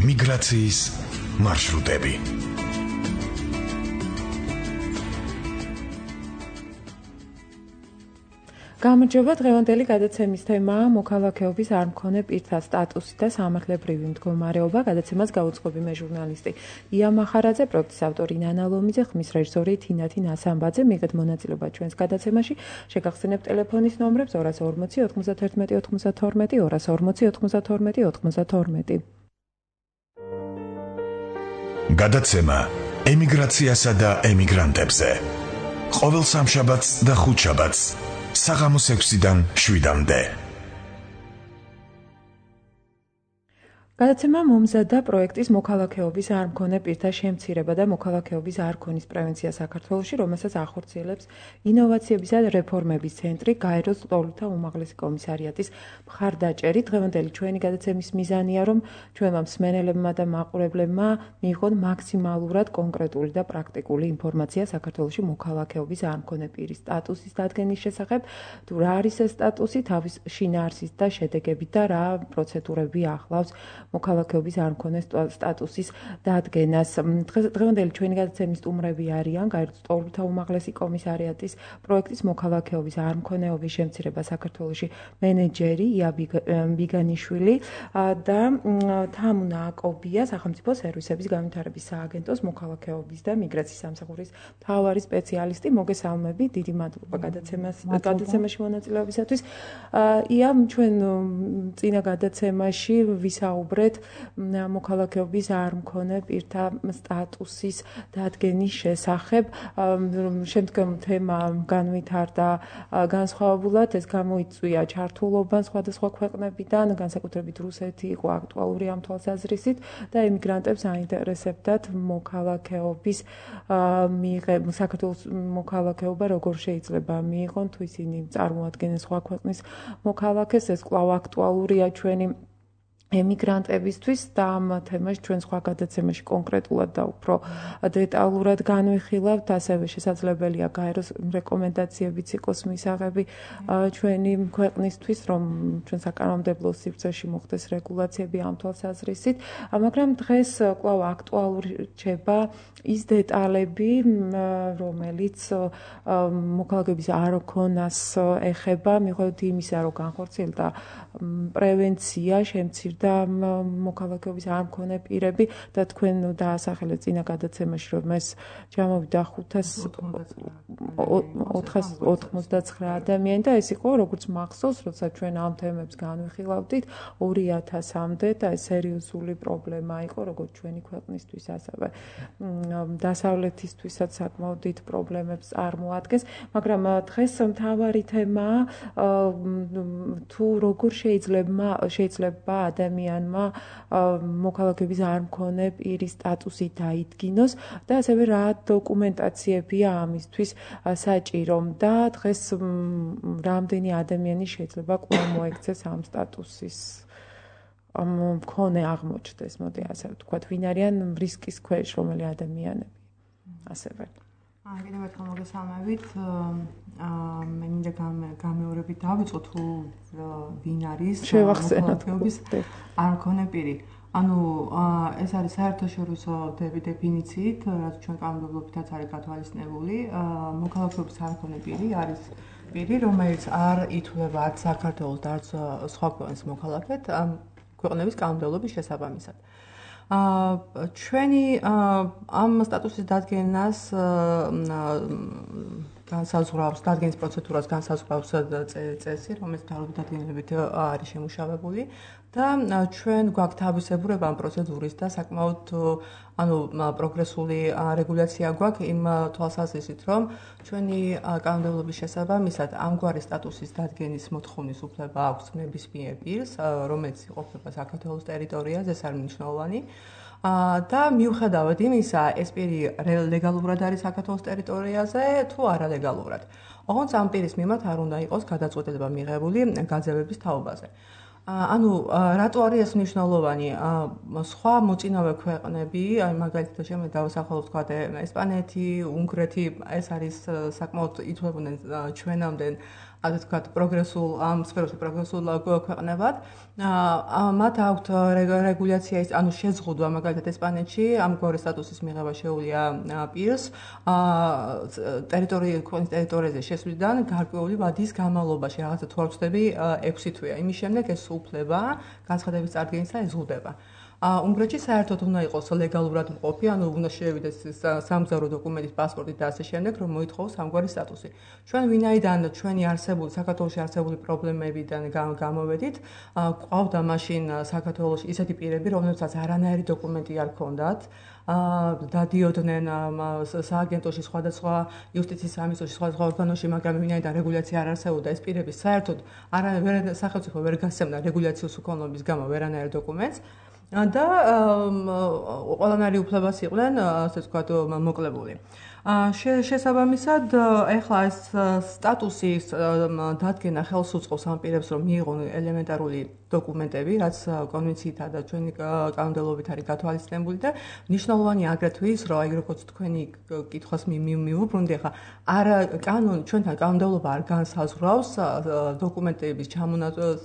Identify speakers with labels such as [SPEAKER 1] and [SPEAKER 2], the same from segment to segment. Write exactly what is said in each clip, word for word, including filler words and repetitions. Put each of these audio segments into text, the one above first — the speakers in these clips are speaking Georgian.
[SPEAKER 1] მიგრაციის მარშრუტები.
[SPEAKER 2] გამარჯობა, დღევანდელი გადაცემის თემაა მოქალაქეობის არ მქონე პირთა სტატუსი და სამართლებრივი მდგომარეობა. გადაცემას გაუძღვები მე ჟურნალისტი ია მახარაძე, პროექტის ავტორი ნანა ლომიძე, ხმის რეჟისორი თინათი ნასამბაძე. მიგეთ მონაწილეობა ჩვენს გადაცემაში. შეგახსენებთ ტელეფონის ნომრებს ორას ორმოცი ოთხმოცდათერთმეტი ოცდათორმეტი, ორას ორმოცი ოთხმოცდათორმეტი ოცდათორმეტი.
[SPEAKER 1] გადაცემა ემიგრაციასა და ემიგრანტებზე. ყოველ სამშაბათს და ხუთშაბათს საღამოს ექვსიდან შვიდამდე.
[SPEAKER 2] გადაცემა მომზადდა პროექტის მოქალაქეობის არ მქონე პირთა შემცირება და მოქალაქეობის არ ქონის პრევენცია საქართველოში, რომელსაც ახორციელებს ინოვაციებისა და რეფორმების ცენტრი, გაეროს ლტოლვილთა უმაღლესი კომისარიატის მხარდაჭერი. დღევანდელი ჩვენი გადაცემის მიზანია, რომ ჩვენმა მსმენელებმა და მაყურებლებმა მიიღონ მაქსიმალურად კონკრეტული და პრაქტიკული ინფორმაცია საქართველოში მოქალაქეობის არ მქონე პირის სტატუსის დადგენის შესახებ, თუ რა არის ეს სტატუსი, თავის შინაარსის და შედეგებით და რა პროცედურები ახლავს მოქალაქეობის არ მქონე სტატუსის დადგენას. დღევანდელი ჩვენი გადაცემის სტუმრები არიან გაეროს ლტოლვილთა უმაღლესი კომისარიატის პროექტის მოქალაქეობის არ მქონეობის შემცირება საქართველოში მენეჯერი ია ბიგანიშვილი და თამუნა აკობია, სახელმწიფო სერვისების განვითარების სააგენტოს მოქალაქეობის და მიგრაციის სამსახურის მთავარი სპეციალისტი. მოგესალმებით, დიდი მადლობა გადაცემას გადაცემაში მონაწილეობისათვის. ია, ჩვენ წინა გადაცემაში ვისაუბრეთ მოქალაქეობის არ მქონე პირთა სტატუსის დადგენის შესახებ. შემდგომ თემა განვითარდა განსხვავებულად, ეს გამოიწვია ჩართულობამ სხვადასხვა ქვეყნებიდან, განსაკუთრებით რუსეთი იყო აქტუალური ამ თვალსაზრისით და ემიგრანტებს აინტერესებდათ მოქალაქეობის მიღება, საქართველოს მოქალაქეობა როგორ შეიძლება მიიღონ, თუ ისინი წარმოადგენენ სხვა ქვეყნის მოქალაქეს. ეს კვლავ აქტუალურია ჩვენი ემიგრანტებისთვის და ამ თემას ჩვენ სხვა გადაცემაში კონკრეტულად და უფრო დეტალურად განვიხილავთ. ასევე შესაძლებელია გაეროს რეკომენდაციებიც იყოს მისაღები ჩვენი ქვეყნისთვის, რომ ჩვენ საკანონმდებლო სივრცეში მოხდეს რეგულაციები ამ თვალსაზრისით. მაგრამ დღეს კვლავ აქტუალური რჩება ის დეტალები, რომელიც მოქალაქეობის არ ქონას ეხება, მიუხედავად იმისა, რომ განხორციელდა პრევენცია, შემცირდა და მოქალაქეობის არ მქონე პირები და თქვენ დაასახელეთ წინა გადაცემაში, რომ ეს ჯამოვიდა ხუთას ოთხმოცდაცხრა ადამიანი და ეს იყო როგორც მახსოვს, როცა ჩვენ ამ თემებს განვიხილავდით ორი ათასამდე და ეს სერიოზული პრობლემა იყო როგორც ჩვენი ქვეყნისთვის, ასევე დასავლეთისთვისაც საკმაოდ დიდ პრობლემებს წარმოადგენს. მაგრამ დღეს მთავარი თემაა თუ როგორ შეიძლება შეიძლება ადამიანმა მოქალაქეობის არ მქონე პირის სტატუსი დაიდგინოს და ასევე რა დოკუმენტაციებია ამისთვის საჭირო და დღეს რამდენი ადამიანი შეიძლება კვლავ მოექცეს ამ სტატუსის მქონე აღმოჩნდეს, მოდი ასე ვთქვათ, ვინ არიან რისკის ქვეშ რომელი ადამიანები ასევე.
[SPEAKER 3] კიდევ ერთხელ მოგესალმებით. მე მინდა გამეორებით დავიწყო თუ ვინ არის მოქალაქეობის არ მქონე პირი. ანუ ეს არის საერთაშორისო დეფინიციით, რაც ჩვენ კანონმდებლობითაც არის გათვალისწინებული. მოქალაქეობის არ მქონე პირი არის პირი, რომელიც არ ითვლება არც საქართველოს და არც სხვა ქვეყნის მოქალაქედ ქვეყნების კანონმდებლობის შესაბამისად. ჩვენი ამ სტატუსის დადგენას განსაზღვრავს დადგენის პროცედურას განსაზღვრავს წესი, რომელიც მთავრობის დადგენილებით არის შემუშავებული და ჩვენ გვაქვს თავისებურება ამ პროცედურის და საკმაოდ ანუ პროგრესული რეგულაცია გვაქვს იმ თვალსაზრისით, რომ ჩვენი კანონმდებლობის შესაბამისად ამგვარი სტატუსის დადგენის მოთხოვნის უფლება აქვს ნებისმიერ პირს, რომელიც იყოფება საქართველოს ტერიტორიაზე, ეს არის მნიშვნელოვანი. და მიუხედავად იმისა, ეს პირი ლეგალურად არის საქართველოს ტერიტორიაზე თუ არალეგალურად. ოღონდ ამ პირის მიმართ არ უნდა იყოს გადაწყვეტილება მიღებული გაძევების თაობაზე. ანუ რატო არის ეს მნიშვნელოვანი? სხვა მოწინავე ქვეყნები, აი მაგალითად შემიძლია დავასახელოთ თქვა ესპანეთი, უნგრეთი, ეს არის საკმაოდ ითვლებოდნენ ჩვენამდე ასე ვთქვათ, პროგრესულ ამ სფეროში პროგრესულ ქვეყნებად. მათ აქვთ რეგულაცია, ანუ შეზღუდვა, მაგალითად ესპანეთში ამგვარი სტატუსის მიღება შეუძლია პირს ტერიტორიის ქვეყნის ტერიტორიაზე შესვლიდან გარკვეული ვადის განმავლობაში, რაღაცა თუ არ ვცდები, ექვსი თვეა. იმის შემდეგ ეს უფლება განცხადების წარდგენისა ეზღუდება. უნგრეთში საერთოდ უნდა იყოს ლეგალურად მყოფი, ანუ უნდა შევიდეს სამგზავრო დოკუმენტის, პასპორტით და ასე შემდეგ, რომ მოითხოვოს ამგვარი სტატუსი. ჩვენ ვინაიდან ჩვენი არსებული საქართველოში არსებული პრობლემებიდან გამოვედით, ყავდა მაშინ საქართველოში ისეთი პირები, რომლებსაც არანაირი დოკუმენტი არ ჰქონდათ. დადიოდნენ სააგენტოში, სხვადასხვა იუსტიციის სამინისტროში, სხვადასხვა ორგანოში, მაგრამ ვინაიდან რეგულაცია არ არსებობდა, ეს პირები საერთოდ არა სახელმწიფო ვერ გასცემდა რეგულაციის უქონლობის გამო ვერანაირ დოკუმენტს. და ყველანაირი უფლებას იყვნენ, ასე ვთქვათ, მოკლებული. შესაბამისად, ეხლა ეს სტატუსის დადგენა ხელს უწყობს ამ პირებს, რომ მიიღონ ელემენტარული დოკუმენტები, რაც კონვენციითა და ჩვენი კანონმდებლობით არის გათვალისწინებული და მნიშვნელოვანია აგრეთვე ის, რომ აი როგორც თქვენი კითხვას მივუბრუნდი, ახლა არა კანონი, ჩვენთან კანონმდებლობა არ განსაზღვრავს დოკუმენტების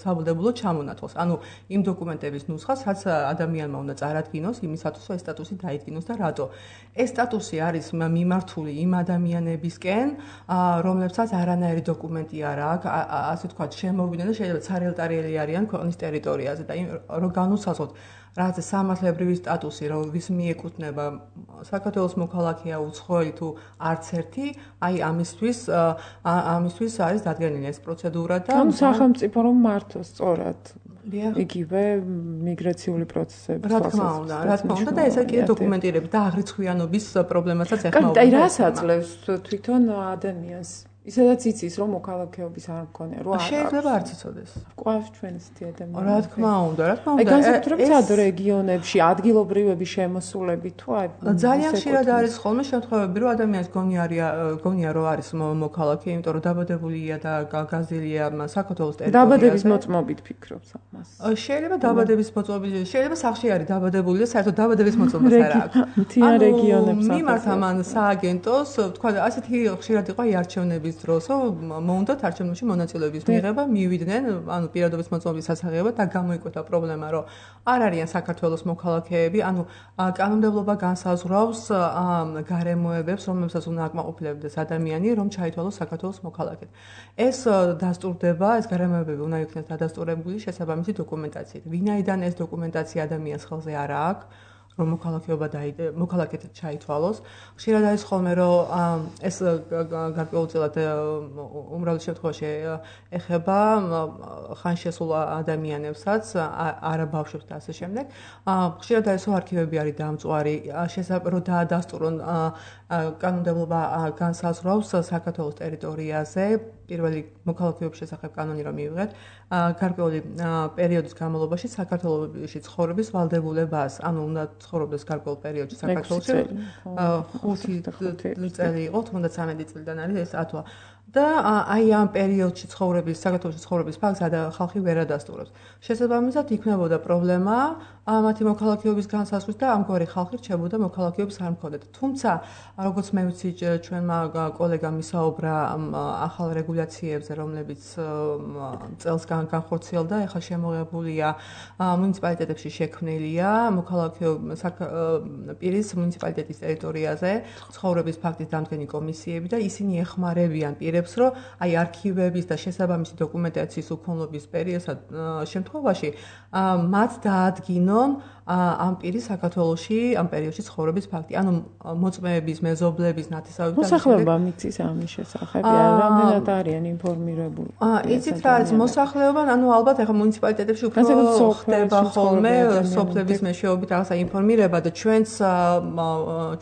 [SPEAKER 3] საბუდებულო ჩამონათვალს. ანუ იმ დოკუმენტების ნუსხას, რაც ადამიანმა უნდა წარადგინოს იმისათვის, რომ ეს სტატუსი დაიდგინოს და რატო. ეს სტატუსი არის მიმართული იმ ადამიანებისკენ, რომლებსაც არანაირი დოკუმენტი არ აქვს, ასე ვთქვათ, შემოვიდნენ და შეიძლება ცარიელტარიელი არიან ქვეყნის ტერიტორიაზე და რომ განუსაზღვროთ რაც სამართლებრივი სტატუსი, რომ ვის მიეკუთვნება საქართველოს მოქალაქეა უცხოელი თუ არც ერთი, აი ამისთვის ამისთვის არის დადგენილი ეს პროცედურა და
[SPEAKER 2] ანუ სახელმწიფო რომ მართოს სწორად იგივე მიგრაციული პროცესები.
[SPEAKER 3] რა თქმა უნდა, რა თქმა უნდა და ესა კიდე დოკუმენტირება და აღრიცხვიანობის პრობლემასაც ეხმაურება.
[SPEAKER 2] აი რას აძლევს თვითონ ადამიანს? ისაც იცის რომ მოქალაქეობის არ მქონია, რომ
[SPEAKER 3] შეიძლება არც იცოდეს.
[SPEAKER 2] გვაქვს ჩვენ ესეთი ადამიანები.
[SPEAKER 3] რა თქმა უნდა, რა თქმა უნდა.
[SPEAKER 2] აი განსაკუთრებით სად რეგიონებში, ადგილობრივების შემოსულები თუ აი
[SPEAKER 3] ძალიან ხშირად არის ხოლმე შემთხვევები, რომ ადამიანს გონია გონია რომ არის მოქალაქე, იმიტომ რომ დაბადებულია და გაზრდილია საქართველოს ტერიტორიაზე.
[SPEAKER 2] დაბადების მოწმობით ფიქრობს ამას.
[SPEAKER 3] შეიძლება დაბადების მოწმობით, შეიძლება სახლში არის დაბადებული და საერთოდ დაბადების მოწმობა არ აქვს.
[SPEAKER 2] მთიან რეგიონებს
[SPEAKER 3] მიმართ ამან სააგენტოს, თქვა ასეთი ხშირად იყო აი არჩევნების დროს, მოუნდათ არჩევნებში მონაწილეობის მიღება, მივიდნენ, ანუ პირადობის მოწმობის სასაღებად და გამოიკვეთა პრობლემა, რომ არ არიან საქართველოს მოქალაქეები, ანუ კანონმდებლობა განსაზღვრავს გარემოებებს, რომლებსაც უნდა აკმაყოფილებდეს ადამიანი, რომ ჩაითვალოს საქართველოს მოქალაქედ. ეს დასტურდება, ეს გარემოებები უნდა იქნეს დადასტურებული შესაბამისი დოკუმენტაციით. ვინაიდან ეს დოკუმენტაცია ადამიანს ხელზე არ აქვს, რომ მოქალაქეობა დაიდე, მოქალაქედ ჩაითვალოს. ხშირად არის ხოლმე, რომ ეს გარკვეულწილად უმრავლეს შემთხვევაში ეხება ხანშესულ ადამიანებსაც, არა ბავშვებს და ასე შემდეგ. ხშირად არის, რომ არქივები არის დამწვარი, შესაძლოა დაადასტურონ კანონმდებლობა განსაზღვრავს საქართველოს ტერიტორიაზე პირველი მოქალაქეობის შესახებ კანონი რომ მივიღეთ, გარკვეული პერიოდის განმავლობაში საქართველოში ცხოვრების ვალდებულებას, ანუ უნდა ცხოვრობდეს გარკვეულ პერიოდში საქართველოში ხუთი წელი იყო, თუნდაც სამი წლიდან არის ეს ათვა. და აი ამ პერიოდში ცხოვრების, საქართველოში ცხოვრების ფაქტს ხალხი ვერ ადასტურებს. შესაბამისად იქნებოდა პრობლემა მათი მოქალაქეობის განსაზღვრის და ამგვარი ხალხი რჩებოდა მოქალაქეობის არ მქონდეთ. თუმცა, როგორც მე ვიცი, ჩვენმა კოლეგამ ისაუბრა ახალ რეგულაციებზე, რომლებიც წელს განხორციელდა, ეხლა შემოღებულია მუნიციპალიტეტებში შექმნილია მოქალაქეობის პირის მუნიციპალიტეტის ტერიტორიაზე ცხოვრების ფაქტის დამდგენი კომისიები და ისინი ეხმარებიან პირებს, რომ აი არქივების და შესაბამისი დოკუმენტაციის უქონლობის პერიოდსა შემთხვევაში მათ დაადგინონ ამ პირის საქართველოში ამ პერიოდში ცხოვრების ფაქტი. ანუ მოწმეების, მეზობლების, ნათესავების
[SPEAKER 2] მოსახლეობა მიწის ამის შესახებ, რამდენად არიან ინფორმირებული.
[SPEAKER 3] იცით რა არის მოსახლეობა, ანუ ალბათ ახლა მუნიციპალიტეტებში უფრო ხდება ხოლმე სოფლების მეშვეობით რაღაცა ინფორმირება და ჩვენც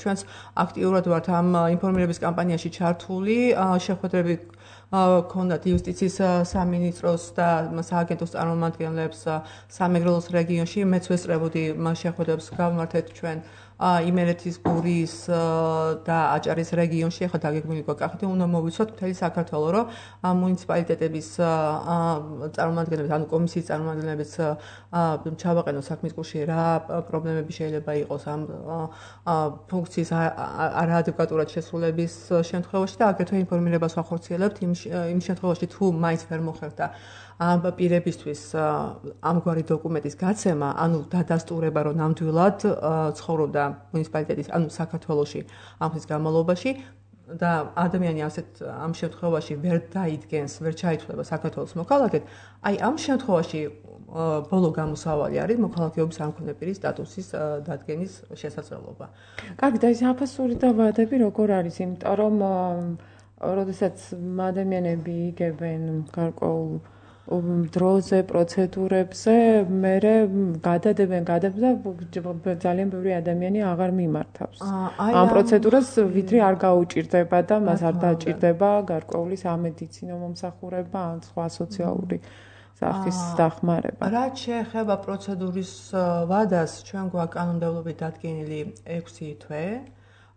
[SPEAKER 3] ჩვენც აქტიურად ვართ ამ ინფორმირების კამპანიაში ჩართული, შეხვედრები ქონდათ იუსტიციის სამინისტროს და სააგენტოს წარმომადგენლებს სამეგრელოს რეგიონში, მეც ვესწრებოდი შეხვედრებს გავმართეთ ჩვენ იმერეთის გურის და აჭარის რეგიონში, ახლა დაგეგმილი გვაქვს კახეთი, უნდა მოვიცვათ მთელი საქართველო, რომ მუნიციპალიტეტების წარმომადგენლებს, ანუ კომისიის წარმომადგენლებს ჩავაყენოთ საქმის კურსში, რა პრობლემები შეიძლება იყოს ამ ფუნქციის არაადეკვატურად შესრულების შემთხვევაში და აგრეთვე ინფორმირებას ვახორციელებთ იმ იმ შემთხვევაში თუ მაინც ვერ მოხერხდა ამ პირებისთვის ამგვარი დოკუმენტის გაცემა, ანუ დადასტურება, რომ ნამდვილად ცხოვრობდა მუნიციპალიტეტის, ანუ საქართველოში ამ ხნის განმავლობაში და ადამიანი ასეთ ამ შემთხვევაში ვერ დაიდგენს, ვერ ჩაითვლება საქართველოს მოქალაქედ, აი ამ შემთხვევაში ბოლო გამოსავალი არის მოქალაქეობის არ მქონე პირის სტატუსის დადგენის შესაძლებლობა.
[SPEAKER 2] კარგი, და ეს აფასური და ვადები როგორ არის? იმიტომ რომ როდესაც ადამიანები იგებენ გარკვეულ დროზე, პროცედურებზე, მერე გადადებენ გადადებენ და ძალიან ბევრი ადამიანი აღარ მიმართავს. ამ პროცედურას ვიდრე არ გაუჭირდება და მას არ დაჭირდება გარკვეული სამედიცინო მომსახურება ან სხვა სოციალური სახის დახმარება.
[SPEAKER 3] რაც შეეხება პროცედურის ვადას, ჩვენ გვაქვს კანონმდებლობით დადგენილი ექვსი თვე,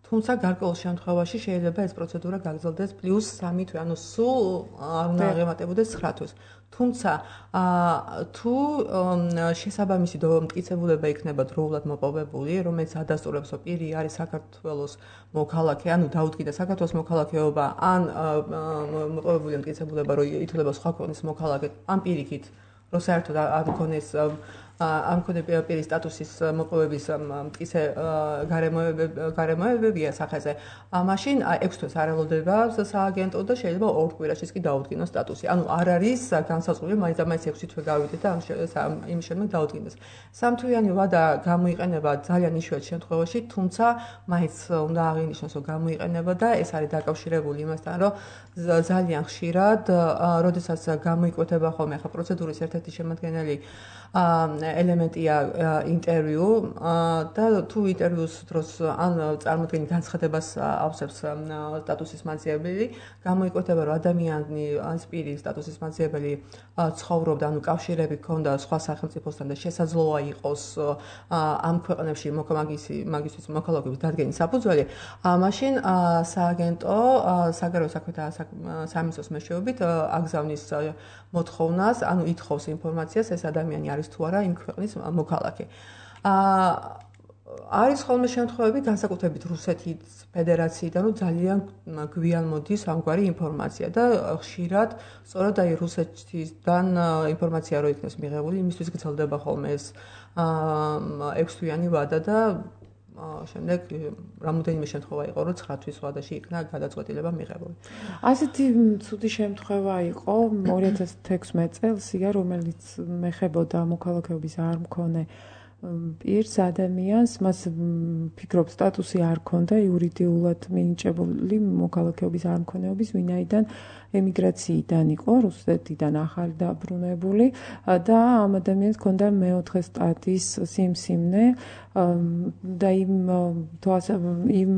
[SPEAKER 3] თუმცა გარკვეულ შემთხვევაში შეიძლება ეს პროცედურა გაგრძელდეს პლუს სამი თვე, ანუ სულ არ უნდა აღემატებოდეს ცხრა თვეს. თუმცა თუ შესაბამისი მტკიცებულება იქნება დროულად მოპოვებული, რომელიც ადასტურებს, რომ პირი არის საქართველოს მოქალაქე, ანუ დაუდგინდა საქართველოს მოქალაქეობა, ან მოპოვებული მტკიცებულება, რომ ითვლება სხვა ქვეყნის მოქალაქედ, ან პირიქით, რომ საერთოდ არ მქონეს ამ მქონე პირის სტატუსის მოპოვების მტკიცე გარემოებებია სახეზე, მაშინ ექვს თვეს არ ელოდება სააგენტო და შეიძლება ორ კვირაშიც კი დაუდგინოს სტატუსი. ანუ არ არის განსაზღვრული, მაინც და მაინც ექვსი თვე გავიდეთ და იმის შემდეგ დაუდგინდეს. სამთვიანი ვადა გამოიყენება ძალიან იშვიათ შემთხვევაში, თუმცა მაინც უნდა აღინიშნოს, რომ გამოიყენება და ეს არის დაკავშირებული იმასთან, რომ ძალიან ხშირად, როდესაც გამოიკვეთება ხოლმე ახლა პროცედურის ერთ-ერთი შემადგენელი ელემენტია ინტერვიუ და თუ ინტერვიუს დროს ან წარმოდგენი განცხადებას ავსებს სტატუსის მაძიებელი, გამოიკვეთება, რომ ადამიანი ან პირი სტატუსის მაძიებელი ცხოვრობდა, ანუ კავშირები ჰქონდა სხვა სახელმწიფოსთან და შესაძლოა იყოს ამ ქვეყნებში მაგისთვის მოქალაქეობის დადგენის საფუძველი, მაშინ სააგენტო საგარეო საქმეთა სამინისტროს მეშვეობით აგზავნის მოთხოვნას, ანუ ითხოვს ინფორმაციას, ეს ადამიანი არის თუ არა იმ ქვეყნის მოქალაქე. არის ხოლმე შემთხვევები, განსაკუთრებით რუსეთის ფედერაციიდან, რომ ძალიან გვიან მოდის ამგვარი ინფორმაცია და ხშირად სწორედ აი რუსეთიდან ინფორმაცია რო იქნეს მიღებული, იმისთვის გრძელდება ხოლმე ეს ექვს თვიანი ვადა და შემდეგ რამოდენიმე შემთხვევა იყო, რომ ცხრა თვის ვადაში იქნა გადაწყვეტილება მიღებული.
[SPEAKER 2] ასეთი ცუდი შემთხვევა იყო ორი ათას თექვსმეტ წელს, რომელიც მეხებოდა მოქალაქეობის არ მქონე პირს ადამიანს, მას ფიქრობ სტატუსი არ ჰქონდა იურიდიულად მინიჭებული მოქალაქეობის არ მქონეობის, ვინაიდან ემიგრაციიდან იყო, რუსეთიდან ახალი დაბრუნებული და ამ ადამიანს ჰქონდა მეოთხე სტატის სიმსივნე და იმ იმ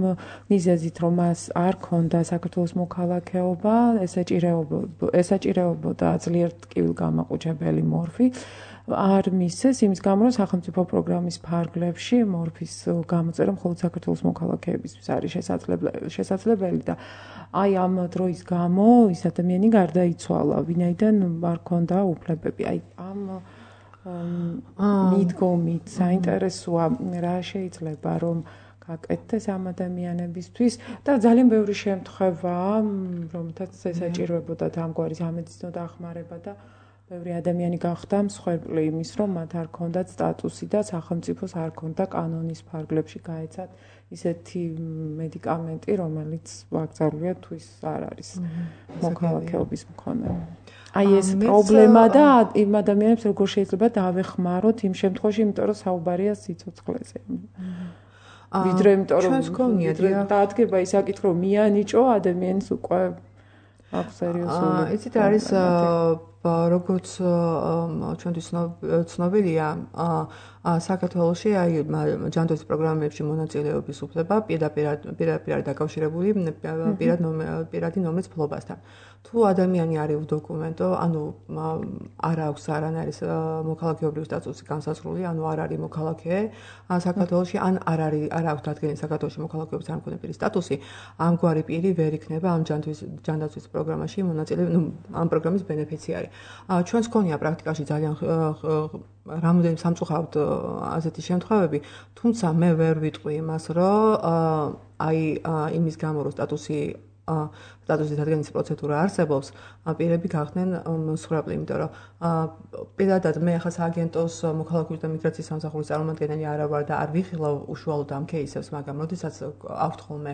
[SPEAKER 2] მიზეზით, რომ მას არ ჰქონდა საქართველოს მოქალაქეობა, ესაჭირებოდა ძლიერ ტკივილგამაყუჩებელი მორფი. არ მისცეს იმის გამო, რომ სახელმწიფო პროგრამის ფარგლებში მორფის გამოწერა მხოლოდ საქართველოს მოქალაქეებისთვის არის შესაძლებელი და აი ამ დროის გამო ის ადამიანი გარდაიცვალა, ვინაიდან არ ჰქონდა უფლებები. აი ამ მიდგომით საინტერესოა რა შეიძლება რომ გაკეთდეს ამ ადამიანებისთვის და ძალიან ბევრი შემთხვევაა, რომელთაც ესაჭიროებოდა ამგვარი სამედიცინო დახმარება და ბევრი ადამიანი გახდა მსხვერპლი იმის, რომ მათ არ ჰქონდათ სტატუსი და სახელმწიფოს არ ჰქონდა კანონის ფარგლებში გაეცათ ისეთი მედიკამენტი, რომელიც ვაკრძალულია თუ ის არ არის მოქალაქეობის მქონე. აი ეს პრობლემა და იმ ადამიანებს როგორ შეიძლება დავეხმაროთ იმ შემთხვევაში, იმიტომ რომ საუბარია სიცოცხლეზე. ვიდრე იმიტომ რომ დადგება ის საკითხი, რომ მიანიჭო ადამიანს უკვე აქვს სერიოზული.
[SPEAKER 3] იცით არის როგორც ჩვენთვის ცნობილია, საქართველოში აი ჯანდაცვის პროგრამებში მონაწილეობის უფლება პირდაპირ არის დაკავშირებული პირადი ნომრის ფლობასთან. თუ ადამიანი არის უდოკუმენტო, ანუ არ აქვს არანაირი მოქალაქეობრივი სტატუსი განსაზღვრული, ანუ არ არის მოქალაქე საქართველოში, ან არ არის არ აქვს დადგენილი საქართველოში მოქალაქეობის არ მქონე პირის სტატუსი, ამგვარი პირი ვერ იქნება ამ ჯანდაცვის პროგრამაში მონაწილე, ნუ ამ პროგრამის ბენეფიციარი. ჩვენს გქონია პრაქტიკაში ძალიან რამოდენიმე სამწუხაროდ ასეთი შემთხვევები, თუმცა მე ვერ ვიტყვი იმას, რომ აი იმის გამო რომ სტატუსი სტატუსის დადგენის პროცედურა არსებობს, პირები გახდნენ მსხვერპლი, იმიტომ რომ პირადად მე ახლა სააგენტოს მოქალაქეობის და მიგრაციის სამსახურის წარმომადგენელი არა ვარ და არ ვიხილავ უშუალოდ ამ кейსებს, მაგრამ როდესაც აქვთ ხოლმე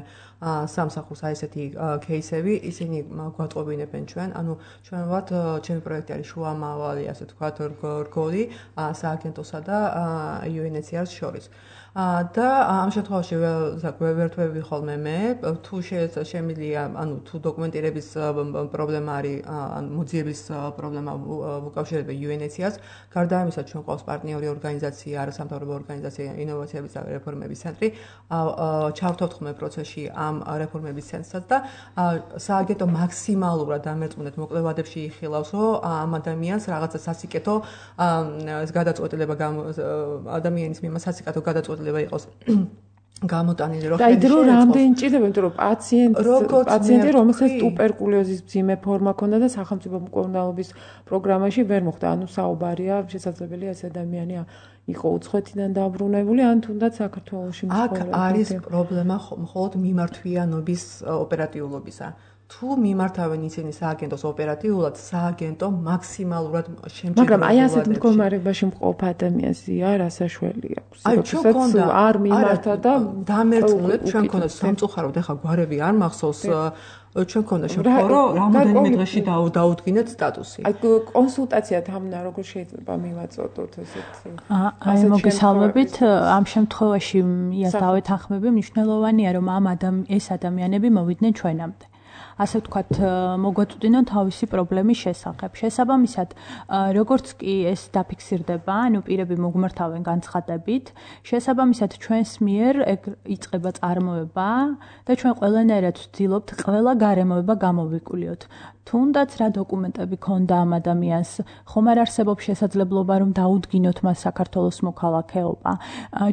[SPEAKER 3] სამსახურს აი ესეთი кейსები, ისინი გვატყობინებენ ჩვენ, ანუ ჩვენ ვართ ჩემი პროექტი არის შუამავალი, ასე ვთქვათ, რგოლი სააგენტოსა და იუ ენ ეიჩ სი არ-ს შორის. და ამ შემთხვევაში ვერთვები ხოლმე მე, თუ შემიძლია, ანუ თუ დოკუმენტირების პრობლემა არის, ანუ მოძიების პრობლემა უკავშირდება იუ ენ ეიჩ სი არ-ს, გარდა ამისა ჩვენ ყავს პარტნიორი ორგანიზაცია, არასამთავრობო ორგანიზაცია ინოვაციების და რეფორმების ცენტრი, ჩავთვალთ ხოლმე პროცესში ამ რეფორმების ცენტრსაც და სააგენტო მაქსიმალურად ამერწმუნეთ მოკლებადებში იხილავს, რომ ამ ადამიანს რაღაცა სასიკეთო გადაწყვეტილება ადამიანის მიმართ სასიკეთო გადაწყვეტილება იყოს გამოტანილი რომ
[SPEAKER 2] ხელში შეეწყოს. და რამდენი ჭირდება, იმიტომ რომ პაციენტი პაციენტი რომელსაც ტუბერკულოზის მძიმე ფორმა ჰქონდა და სახელმწიფო მკურნალობის პროგრამაში ვერ მოხვდა, ანუ საუბარია შესაძლებელია ეს ადამიანი იყო უცხოეთიდან დაბრუნებული, ან თუნდაც საქართველოში
[SPEAKER 3] აქ
[SPEAKER 2] მცხოვრები.
[SPEAKER 3] არის პრობლემა მხოლოდ მიმართვიანობის ოპერატიულობისა. თუ მიმართავენ ისინი სააგენტოს ოპერატიულად, სააგენტო მაქსიმალურად შემჭირდება.
[SPEAKER 2] მაგრამ აი ასეთ მდგომარეობაში მყოფ ადამიანს არ ასაშველი აქვს.
[SPEAKER 3] აი ჩვენ გქონდა
[SPEAKER 2] არ მიმართა და
[SPEAKER 3] დამერწმუნეთ, ჩვენ გქონდა სამწუხაროდ ეხა გვარები არ მახსოვს ჩვენ გქონდა შემთხვევა რომ რამოდენიმე დღეში დაუდგინეთ სტატუსი.
[SPEAKER 2] აი კონსულტაცია თამნა როგორ შეიძლება მივაწოდოთ ესეთ
[SPEAKER 4] აი მოგესალმებით ამ შემთხვევაში იასდავ ეთანხმები მნიშვნელოვანია რომ ამ ადამ ეს ადამიანები მოვიდნენ ჩვენამდე. ასე ვთქვათ, მოგვაწვდინონ თავისი პრობლემის შესახებ. შესაბამისად, როგორც კი ეს დაფიქსირდება, ანუ პირები მოგმართავენ განცხადებით, შესაბამისად ჩვენს მიერ იწყება წარმოება და ჩვენ ყველანაირად ვცდილობთ ყველა გარემოება გამოვიკვლიოთ. თუნდაც რა დოკუმენტები ქონდა ამ ადამიანს, ხომ არ არსებობს შესაძლებლობა რომ დაუდგინოთ მას საქართველოს მოქალაქეობა.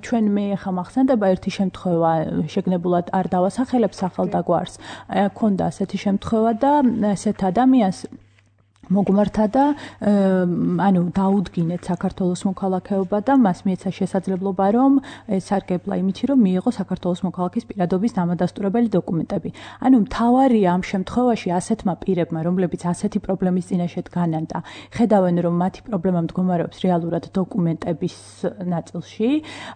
[SPEAKER 4] ჩვენ მე ახლა მახსენდება ერთი შემთხვევა, შეგნებულად არ დავასახელებ სახელ და გვარს. ქონდა ასეთი შემთხვევა და ესეთ ადამიანს მოგმართა და ანუ დაუდგინეთ საქართველოს მოქალაქეობა და მას მიეცა შესაძლებლობა რომ ესარგებლა იმით რომ მიიღო საქართველოს მოქალაქის პირადობის დამადასტურებელი დოკუმენტები. ანუ მთავარია ამ შემთხვევაში ასეთმა პირებმა, რომლებიც ასეთი პრობლემის წინაშე დგანან და ხედავენ რომ მათი პრობლემა მდგომარეობს რეალურად დოკუმენტების ნაწილში,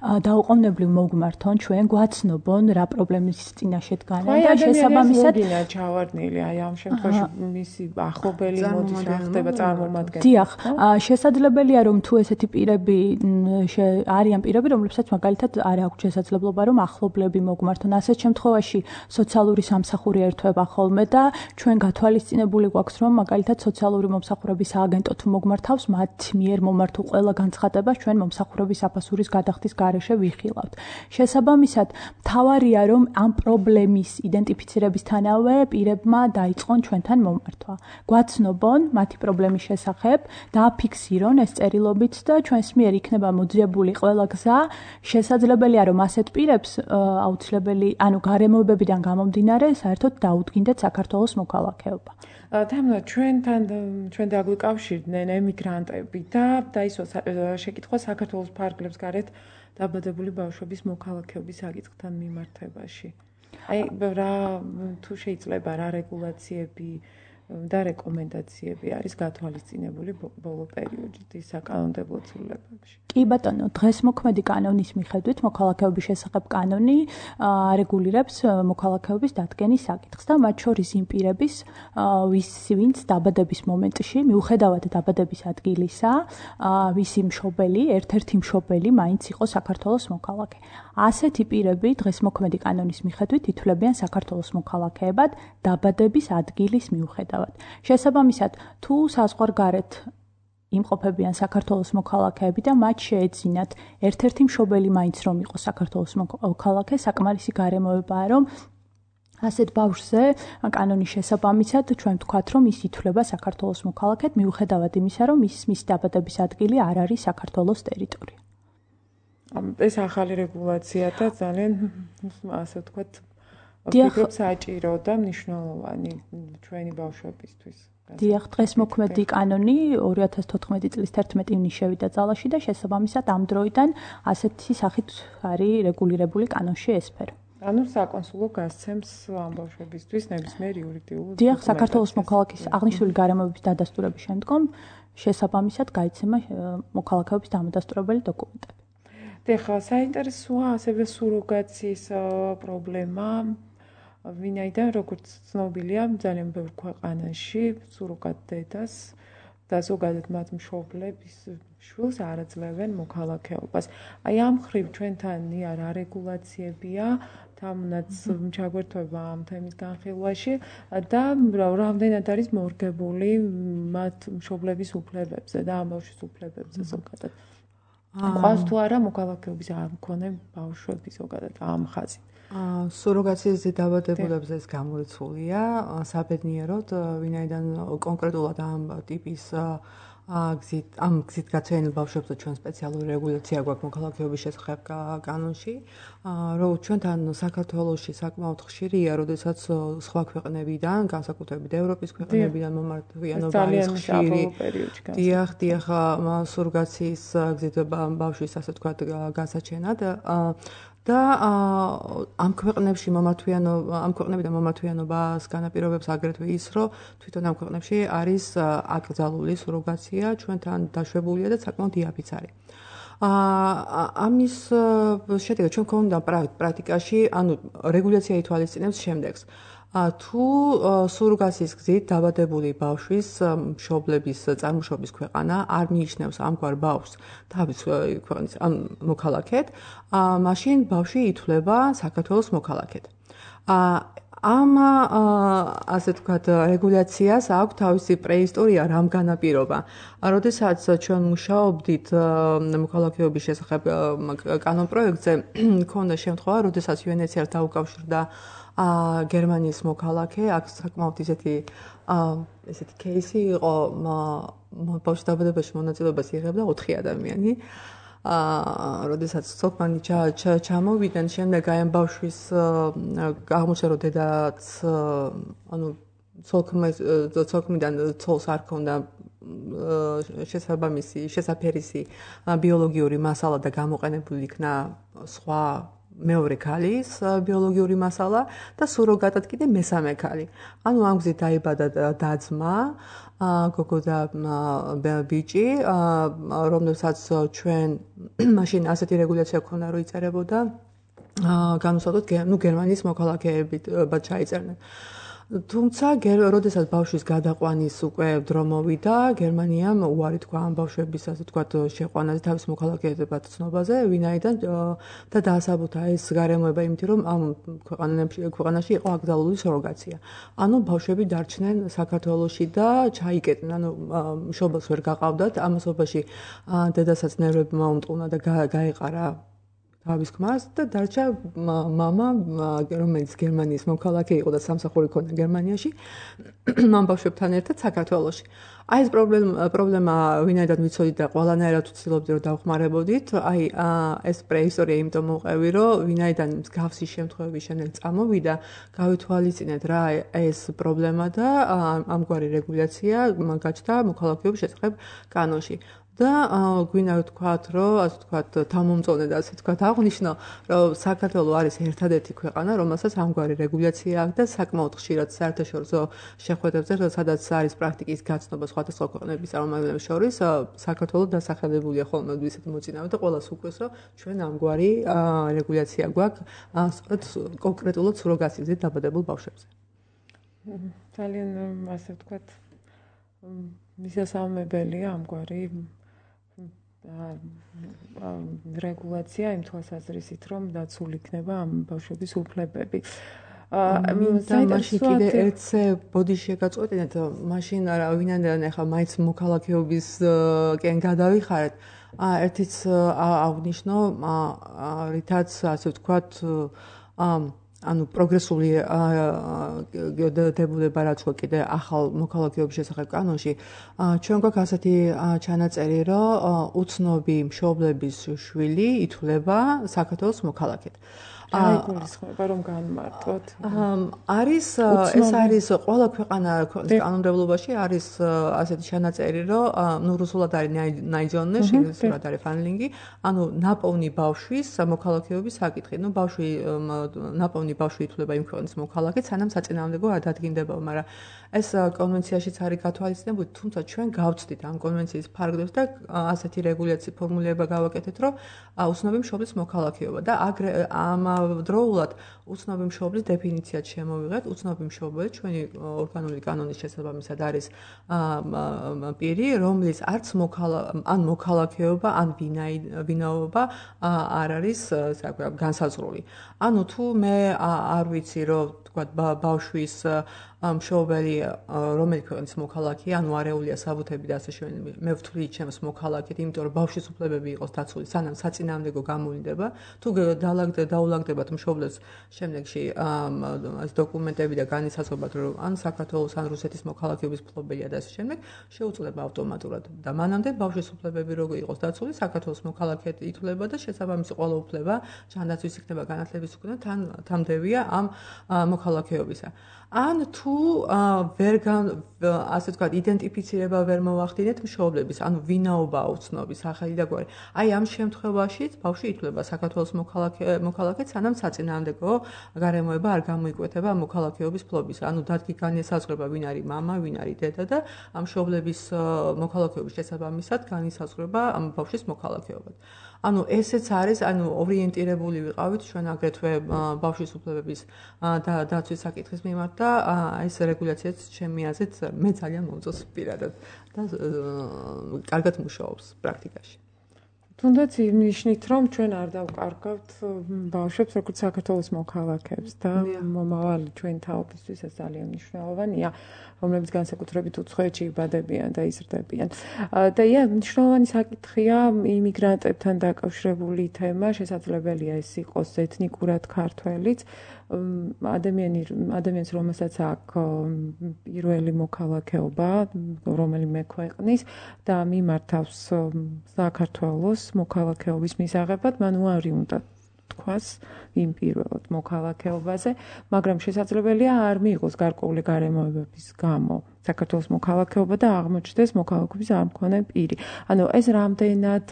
[SPEAKER 4] დაუყოვნებლივ მოგმართონ ჩვენ, გვაცნობონ რა პრობლემის წინაშე დგანან და შესაბამისად
[SPEAKER 2] ჩავარდნილი აი ამ შემთხვევაში მისი ახლობელი მოდის ხდება წარმომადგენელი.
[SPEAKER 4] დიახ, შესაძლებელია რომ თუ ესეთი პირები არიან პირები, რომლებსაც მაგალითად არ აქვს შესაძლებლობა რომ ახლობლები მოგმართონ. ასეთ შემთხვევაში სოციალური სამსახური ერთვება ხოლმე და ჩვენ გათვალისწინებული გვაქვს რომ მაგალითად სოციალური მომსახურების სააგენტო თუ მოგმართავს, მათ მიერ მომართულ ყველა განცხადებას ჩვენ მომსახურების საფასურის გადახდის გარეშე ვიხილავთ. შესაბამისად, მთავარია რომ ამ პრობლემის იდენტიფიცირებისთანავე პირებმა დაიწყონ ჩვენთან მომართვა. გვაცნობონ მათი პრობლემის შესახებ, დააფიქსირონ ეს წერილობით და ჩვენს მიერ იქნება მოძიებული ყველა გზა. შესაძლებელია რომ ასეთ პირებს აუცილებელი, ანუ გარემოებებიდან გამომდინარე, საერთოდ დაუდგინდეთ საქართველოს მოქალაქეობა.
[SPEAKER 2] თამნა ჩვენთან ჩვენ დაგვიკავშირდნენ ემიგრანტები და დაისვა შეკითხვა საქართველოს ფარგლებს გარეთ დაბადებული ბავშვების მოქალაქეობის საკითხთან მიმართებაში. აი რა თუ შეიძლება რა რეგულაციები და რეკომენდაციები არის გათვალისწინებული ბოლო პერიოდის საკანონმდებლო ცვლილებებში.
[SPEAKER 4] კი ბატონო, დღეს მოქმედი კანონის მიხედვით მოქალაქეობის შესახებ კანონი რეგულირებს მოქალაქეობის დადგენის საკითხს და მათ შორის იმ პირების, ვინც დაბადების მომენტში, მიუხედავად დაბადების ადგილისა, ვისი მშობელი, ერთ-ერთი მშობელი მაინც იყო საქართველოს მოქალაქე. ასეთი პირები დღეს მოქმედი კანონის მიხედვით ითვლებიან საქართველოს მოქალაქეებად დაბადების ადგილის მიუხედავად. შესაბამისად, თუ საზღვარგარეთ იმყოფებიან საქართველოს მოქალაქეები და მათ შეეძინათ ერთ-ერთი მშობელი მაინც რომ იყოს საქართველოს მოქალაქე, საკმარისი გარემოებაა რომ ასეთ ბავშვზე კანონის შესაბამისად ჩვენ ვთქვათ რომ ის ითვლება საქართველოს მოქალაქედ მიუხედავად იმისა რომ ის მის დაბადების ადგილი არ არის საქართველოს ტერიტორია.
[SPEAKER 2] ეს ახალი რეგულაცია და ძალიან ასე ვთქვათ ფიქრობ საჭირო და მნიშვნელოვანი ჩვენი ბავშვებისთვის.
[SPEAKER 4] დიახ, დღეს მოქმედი კანონი ორი ათას თოთხმეტი წლის თერთმეტი ივნისში შევიდა ძალაში და შესაბამისად ამ დროიდან ასეთი სახით არის რეგულირებული კანონში ეს სფერო.
[SPEAKER 2] ანუ საკონსულო გასცემს ამ ბავშვებისთვის ნებისმიერ იურიდიულ
[SPEAKER 4] დიახ, საქართველოს მოქალაქის აღნიშნული გარემოების დადასტურების შემდგომ შესაბამისად გაიცემა მოქალაქეობის დამადასტურებელი დოკუმენტები.
[SPEAKER 2] დიახ, საინტერესოა ასევე სუროგაციის პრობლემა. ვინაიდან როგორც ცნობილია, ძალიან ბევრ ქვეყანაში სუროგატ დედას და ზოგადად მათ მშობლების შვილს არ აძლევენ მოქალაქეობას. აი ამ ხრივ ჩვენთან რა რეგულაციებია, თამუნაც ჩაგვერთვება ამ თემის განხილვაში და რამდენად არის მორგებული მათ მშობლების უფლებებზე და ამ ბავშვის უფლებებზე ზოგადად. ყავს თუ არა მოქალაქეობის არ მქონე ბავშვები ზოგადად ამ ხაზით.
[SPEAKER 3] სუროგაციის დაბადებულებზე ეს გამორიცხულია საბედნიეროდ, ვინაიდან კონკრეტულად ამ ტიპის გზით ამ გზით გაცემულ ბავშვებზე ჩვენ სპეციალური რეგულაცია გვაქვს მოქალაქეობის შესახებ კანონში, რომ ჩვენთან საქართველოში sakmaut ხშირია, როდესაც სხვა ქვეყნებიდან, განსაკუთრებით ევროპის ქვეყნებიდან მომართვიანობა არის ხშირი. დიახ, დიახ, სუროგაციის გზით ბავშვის ასე ვთქვათ გასაჩენად და ამ ქვეყნებში მომართვიანობა ამ ქვეყნებიდან მომართვიანობას განაპირობებს აგრეთვე ის, რომ თვითონ ამ ქვეყნებში არის აკრძალული სუროგაცია, ჩვენთან დაშვებულია და საკმაოდ იაფიც არის. ამის შედეგად ჩვენ გვქონდა პრაქტიკაში, ანუ რეგულაცია ითვალისწინებს შემდეგს. თუ სუროგაციის გზით დაბადებული ბავშვის მშობლების წარმოშობის ქვეყანა არ მიიჩნევს ამგვარ ბავშვს თავის ქვეყნის მოქალაქედ, მაშინ ბავშვი ითვლება საქართველოს მოქალაქედ. ამ ასე ვთქვათ რეგულაციას აქვს თავისი პრეისტორია, რამ განაპირობა. როდესაც ჩვენ მუშაობდით მოქალაქეობის შესახებ კანონპროექტზე, მქონდა შემთხვევა, როდესაც იუ ენ ეიჩ სი არ დაუკავშირდა გერმანიის მოქალაქე, აქ საკმაოდ ისეთი ესეთი кейსი იყო, ბავშვის დაბადებაში მონაწილეობას იღებდა ოთხი ადამიანი. როდესაც სოფმანი ჩამოვიდნენ, შემდეგ აი ამ ბავშვის აღმოჩნდა, რომ დედაც ანუ ცოლქმიდან ცოლს არ ჰქონდა შესაბამისი შესაფერისი ბიოლოგიური მასალა და გამოყენებული იქნა სხვა მეორე ქალის ბიოლოგიური მასალა და სუროგატად კიდე მესამე ქალი. ანუ ამ გზით დაიბადა და-ძმა, გოგო და ბიჭი, რომელსაც ჩვენ მაშინ ასეთი რეგულაცია ქონდა, რომ იწერებოდა განუსაზღვროთ, ნუ გერმანიის მოქალაქეებით ჩაიწერდნენ. თუმცა, როდესაც ბავშვის გადაყვანის უკვე დრო მოვიდა, გერმანიამ უარი თქვა ამ ბავშვების, ასე ვთქვათ, შეყვანაზე თავის მოქალაქეებად ცნობაზე, ვინაიდან და დაასაბუთა ეს გარემოება იმით, რომ ამ ქვეყანაში იყო აკრძალული სუროგაცია. ანუ ბავშვები დარჩნენ საქართველოში და ჩაიკეტნენ, ანუ მშობელს ვერ გაყავდათ, ამასობაში დედასაც ნერვები მოუმტყუნა და გაეყარა თავის ქმარს და დარჩა მამა, რომელიც გერმანიის მოქალაქე იყო და სამსახური ჰქონდა გერმანიაში, ამ ბავშვებთან ერთად საქართველოში. აი ეს პრობლემა ვინაიდან ვიცოდით და ყველანაირად ვცდილობდი რომ დავხმარებოდით, აი ეს პრეისტორია იმიტომ მოვყევი, რომ ვინაიდან მსგავსი შემთხვევები შემდეგ წამოვიდა, გავითვალისწინეთ რა ეს პრობლემა და ამგვარი რეგულაცია გაჩნდა მოქალაქეობის შესახებ კანონში. და გვინდა ვთქვათ, რომ ასე ვთქვათ, თავმომწონე და ასე ვთქვათ, აღვნიშნო, რომ საქართველო არის ერთადერთი ქვეყანა, რომელსაც ამგვარი რეგულაცია აქვს და საკმაოდ ხშირად საერთაშორისო შეხვედრებზე, სადაც არის პრაქტიკის გაცნობა სხვადასხვა ქვეყნების წარმომადგენლებს შორის, საქართველო დასახელებულია ხოლმე ისეთი მოწინავე და ყველას უყვეს, რომ ჩვენ ამგვარი რეგულაცია გვაქვს კონკრეტულად სუროგაციაზე დაბადებულ ბავშვებზე.
[SPEAKER 2] ძალიან ასე ვთქვათ, მისასალმებელია ამგვარი რეგულაცია იმ თვალსაზრისით, რომ დაცული იქნება ამ ბავშვების უფლებები.
[SPEAKER 3] მაშინ კიდე ერთზე ბოდიში გაწყვეტინეთ, მაშინ არა ვინაიდან ახლა მაინც მოქალაქეობისკენ გადავიხარეთ. ერთიც აღვნიშნო, რითაც ასე ვთქვათ, ანუ პროგრესული დებულება რაც ხო კიდე ახალ მოქალაქეობის შესახებ კანონში, ჩვენ გვაქვს ასეთი ჩანაწერი, რომ უცნობი მშობლების შვილი ითვლება საქართველოს მოქალაქედ.
[SPEAKER 2] აიგულისხმება რომ განმარტოთ.
[SPEAKER 3] არის ეს არის ყველა ქვეყანა ქვეყნის კანონმდებლობაში არის ასეთი ჩანაწერი, რომ ნუ რუსულად არის ნაიძონე, ინგლისურად არის ფანლინგი, ანუ ნაპოვნი ბავშვის მოქალაქეობის საკითხი. ნუ ბავშვი ნაპოვნი ბავშვი ითვლება იმ ქვეყნის მოქალაქედ, სანამ საწინააღმდეგო არ დადგინდება, მაგრამ ეს კონვენციაშიც არის გათვალისწინებული, თუმცა ჩვენ გავცდით ამ კონვენციის ფარგლებს და ასეთი რეგულაციის ფორმულირება გავაკეთეთ, რომ უცნობი მშობლის მოქალაქეობა და აგრე ამავდროულად უცნობი მშობლის დეფინიციაც შემოვიღეთ. უცნობი მშობელი ჩვენი ორგანული კანონის შესაბამისად არის პირი, რომლის არც ან მოქალაქეობა, ან ვინაობა არ არის განსაზღვრული. ანუ თუ მე არ ვიცი, რომ თქვათ ბავშვის მშობელი რომელი ქვეყნის მოქალაქეა, ანუ არეულია საბუთები და ასე შემდეგ, მე ვთვლი ჩემს მოქალაქედ, იმიტომ რომ ბავშვის უფლებები იყოს დაცული, სანამ საწინააღმდეგო გამოვლინდება. თუ დაულაგდებათ მშობლებს შემდეგში ეს დოკუმენტები და განისაზღვრებათ, რომ ან საქართველოს ან რუსეთის მოქალაქეობის ფლობელია და ასე შემდეგ, შეუძლება ავტომატურად და მანამდე ბავშვის უფლებები როგორ იყოს დაცული, საქართველოს მოქალაქედ ითვლება და შესაბამისი ყველა უფლება ჯანდაცვის იქნება განათლების უკუნა თან თამდევია ამ მოქალაქეობისა. ან თუ ვერ ასე ვთქვათ, იდენტიფიცირება ვერ მოვახდინეთ მშობლების, ანუ ვინაობა უცნობი, სახელი და გვარი. აი ამ შემთხვევაშიც ბავშვი ითვლება საქართველოს მოქალაქედ, სანამ საწინააღმდეგო გარემოება არ გამოიკვეთება მოქალაქეობის ფლობის. ანუ დადგი განისაზღვრება, ვინ არის მამა, ვინ არის დედა და ამ მშობლების მოქალაქეობის შესაბამისად განისაზღვრება ამ ბავშვის მოქალაქეობა. ანუ ესეც არის, ანუ ორიენტირებული ვიყავით ჩვენ აგრეთვე ბავშვის უფლებების დაცვის საკითხის მიმართ და ეს რეგულაციაც ჩემი აზრით მე ძალიან მომწონს პირადად და კარგად მუშაობს პრაქტიკაში.
[SPEAKER 2] თუნდაც იმნიშნით, რომ ჩვენ არ დავკარგავთ ბავშვებს, როგორც საქართველოს მოქალაქეებს და მომავალი ჩვენ თაობისთვის ეს ძალიან მნიშვნელოვანია, რომლებიც განსაკუთრებით უცხოეთში იბადებიან და იზრდებიან. და ია, მნიშვნელოვანი საკითხია იმიგრანტებთან დაკავშირებული თემა, შესაძლებელია ეს იყოს ეთნიკურად ქართველიც, ადამიანი ადამიანს რომელსაც აქვს პირველი მოქალაქეობა, რომელიმე ქვეყნის და მიმართავს საქართველოს მოქალაქეობის მისაღებად, მან უარი უნდა თქვას იმ პირველად მოქალაქეობაზე, მაგრამ შესაძლებელია არ მიიღოს გარკვეული გარემოებების გამო საქართველოს მოქალაქეობა და აღმოჩნდეს მოქალაქეობის არ მქონე პირი. ანუ ეს რამდენად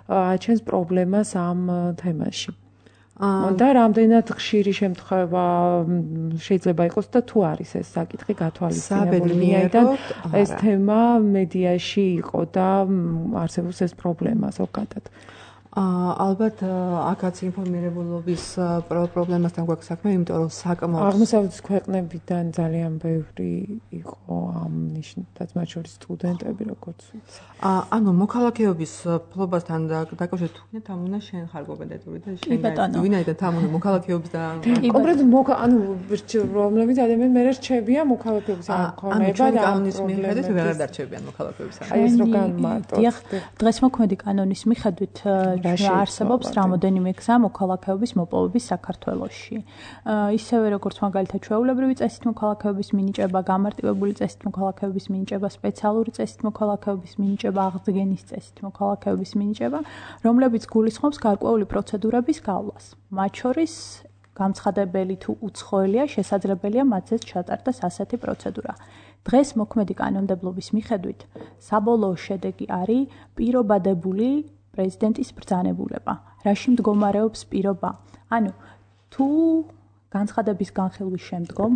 [SPEAKER 2] აჩენს პრობლემას ამ თემაში. და რამდენად ხშირი შემთხვევა შეიძლება იყოს და თუ არის ეს საკითხი გათვალისწინებული, ვინაიდან ეს თემა მედიაში იყო და არსებობს ეს პრობლემა ზოგადად.
[SPEAKER 3] ალბათ აქაც ინფორმირებულობის პრობლემასთან გვაქვს საქმე, იმიტომ რომ საკმაოდ
[SPEAKER 2] აღმოსავლეთის ქვეყნებიდან ძალიან ბევრი იყო ამ ნიშნად, მათ შორის სტუდენტები, როგორც ვიცი.
[SPEAKER 3] ანუ მოქალაქეობის ფლობასთან დაკავშირებით თუნდაც ამ უნდა შენ ხარ კომპეტენტური და შენ ვინაიდან ამ უნდა მოქალაქეობის და
[SPEAKER 2] კონკრეტულად ანუ რომლებიც ადამიანები მე რჩებიან მოქალაქეობის არ მქონეება და
[SPEAKER 3] კანონის მიხედვით ვეღარ დარჩებიან მოქალაქეობის არ.
[SPEAKER 2] აი ეს რო განმარტოთ.
[SPEAKER 4] დიახ, დღეს მოქმედი კანონის მიხედვით არსებობს რამოდენიმე გზა მოქალაქეობის მოპოვების საქართველოში. ისევე როგორც მაგალითად ჩვეულებრივი წესით მოქალაქეობის მინიჭება, გამარტივებული წესით მოქალაქეობის მინიჭება, სპეციალური წესით მოქალაქეობის მინიჭება, აღდგენის წესით მოქალაქეობის მინიჭება, რომლებიც გულისხმობს გარკვეული პროცედურების გავლას. მათ შორის გამცხადებელი თუ უცხოელია, შესაძლებელია მათზეც ჩატარდეს ასეთი პროცედურა. დღეს მოქმედი კანონმდებლობის მიხედვით საბოლოო შედეგი არის პირობადებული პრეზიდენტის ბრძანებულება. რაში მდგომარეობს პირობა? ანუ თუ განცხადების განხილვის შემდგომ